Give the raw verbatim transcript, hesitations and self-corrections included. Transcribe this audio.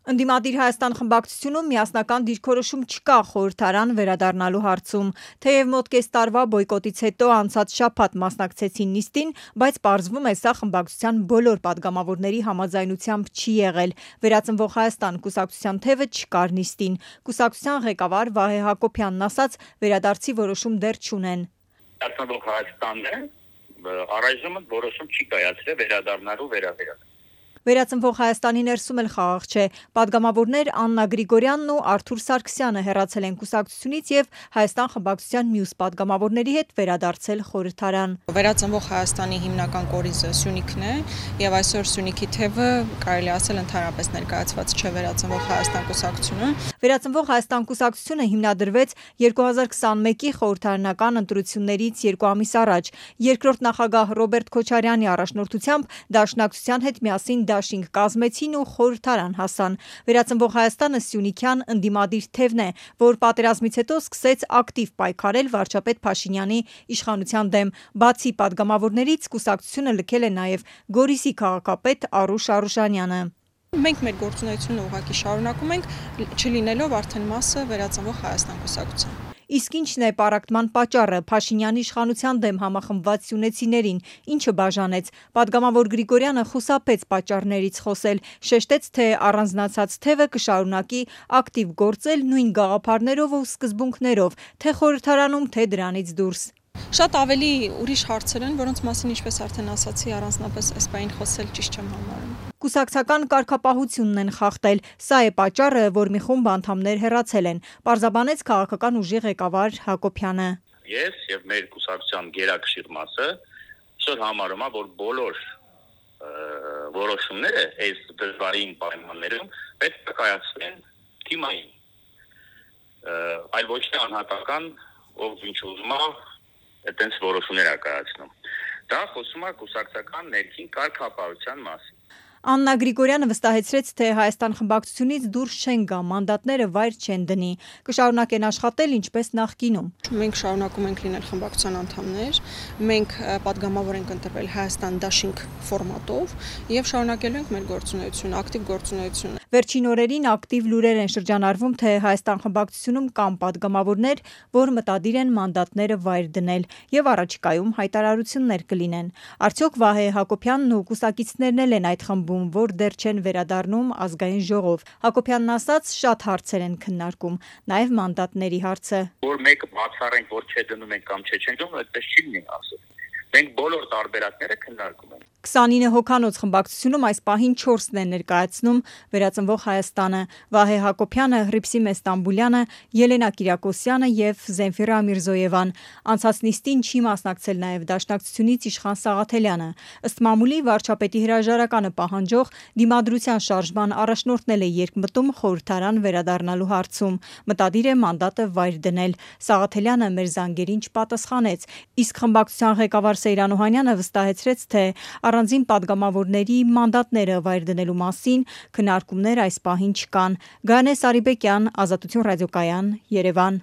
Ընդդիմադիր Հայաստան խմբակցությունում միասնական դիրքորոշում չկա խորհրդարան վերադառնալու հարցում, թեև մոտ կես տարվա բոյկոտից հետո անցած շաբաթ մասնակցեցին նիստին, բայց պարզվում է սա խմբակցության բոլոր պատգամավորների համաձայնությամբ չի եղել։ Վերածնվող Հայաստան կուսակցության թևը չկար նիստին։ Կուսակցության ղեկավար Վահե Հակոբյանն ասաց, վերադարձի որոշում դեռ չունեն։ Վերածնվող Հայաստանն է, առայժմ որոշում չի կայացրել վերադառնալու վերաբերյալ։ Վերածնվող Հայաստանի ներսում էլ խաղաղ չէ։ Պատգամավորներ Աննա Գրիգորյանն ու Արթուր Սարգսյանը հեռացել են կուսակցությունից եւ Հայաստան խմբակցության մյուս պատգամավորների հետ վերադարձել խորհրդարան։ Վերածնվող Հայաստանի հիմնական կորիզը Սյունիքն է եւ այսօր Սյունիքի թևը կարելի ասել ընդհանրապես ներկայացված չէ Վերածնվող Հայաստան կուսակցությունը։ Վերածնվող Հայաստան կուսակցությունը հիմնադրվեց երկու հազար քսաներկու խորհրդարանական ընտրություններից երկու ամիս առաջ։ Երկրորդ նախագահ Ռոբերտ Քոչարյանի առաջնորդությամբ Դաշնակցության հետ միասին դաշինք կազմեցին ու խորհրդարան հասան։ Վերածնվող Հայաստանը Սյունիքյան ընդդիմադիր թևն է, որ պատերազմից հետո սկսեց ակտիվ պայքարել վարչապետ Փաշինյանի իշխանության դեմ։ Բացի պատգամավորներից կուսակցությունը լքել է նաև Գորիսի քաղաքապետ Արուշ Արուշանյանը։ Մենք մեր գործունեությունը ուղղակի շարունակում ենք, չլինելով արդեն մասը Վերածնվող Հայաստան կուսակցության։ Իսկ ինչն է պառակտման պատճառը Փաշինյանի իշխանության դեմ համախմբված սյունեցիներին, ինչը բաժանեց։ Պատգամավոր Գրիգորյանը խուսափեց պատճառներից խոսել, շեշտեց, թե առանձնացած թևը կշարունակի ակտիվ գործել նույն գաղափարներով ու սկզբունքներով, թե խորհրդարանում, թե դրանից դուրս։ Շատ ավելի ուրիշ հարցեր են, որոնց մասին, ինչպես արդեն ասացի, առանձնապես այս բային խոսել ճիշտ չեմ համարում։ Կուսակցական կարգապահությունն են խախտել։ Սա է պատճառը, որ մի խումբ անդամներ հեռացել են, պարզաբանեց քաղաքական ուժի ղեկավար Հակոբյանը։ Ես եւ մեր կուսակցության գերակշիռ մասը շուտ համարում եմ, որ բոլոր որոշումները այս դժվարին պայմաններում պետք է կայացվեն թիմային, այլ ոչ թե անհատական, ով ինչ ուզում է, այդպես որոշումներ է կայացնում։ Դա խոսում է կուսակցական ներքին կարգապահության մասին։ Աննա Գրիգորյանը վստահեցրեց, թե Հայաստան խմբակցությունից դուրս չեն գա, մանդատները վայր չեն դնի, կշարունակեն աշխատել ինչպես նախկինում։ Մենք շարունակում ենք լինել խմբակցության անդամներ, մենք պատգամավոր ենք ընտրվել Հայաստան դաշինք ֆորմատով եւ շարունակելու ենք մեր գործունեությունը, ակտիվ գործունեությունը։ Վերջին օրերին ակտիվ լուրեր են շրջանառվում, թե Հայաստան խմբակցությունում կան պատգամավորներ, որ մտադիր են մանդատները վայր դնել եւ առաջիկայում հայտարարություններ կլինեն։ Արդյոք Վահե Հակոբյանն ու կուսակիցներն են այդ խմբում, որ դեռ չեն վերադառնում ազգային ժողով։ Հակոբյանն ասաց, շատ հարցեր են քննարկում, նաև մանդատների հարցը։ Որ մեկը բացառենք, որ չդնում են կամ չչենջում, այդպես չի լինի ասել։ Մենք բոլոր տարբերակները քննարկում ենք։ քսանինը հոգանոց խմբակցությունում այս պահին չորսն են ներկայացնում Վերածնվող Հայաստանը՝ Վահե Հակոբյանը, Հռիփսիմե Ստամբուլյանը, Ելենա Կիրակոսյանը եւ Զենֆիրա Միրզոևան։ Անցած նիստին չի մասնակցել նաև Դաշնակցությունից Իշխան Սաղաթելյանը։ Ըստ մամուլի վարչապետի հրաժարականը պահանջող դիմադրության շարժման առաջնորդն է երկմտում խորհրդարան վերադառնալու հարցում։ Մտադիր է մանդատը վայր դնել։ Սաղաթելյանը մեր զանգերին չպատասխանեց, իսկ խմբակցության ղեկավար Սեյրան Օհանյանը վստահեցրեց, թե առանձին պատգամավորների մանդատները վայր դնելու մասին քննարկումներ այս պահին չկան։ Գայանե Սարիբեկյան, Ազատություն ռադիոկայան, Երևան։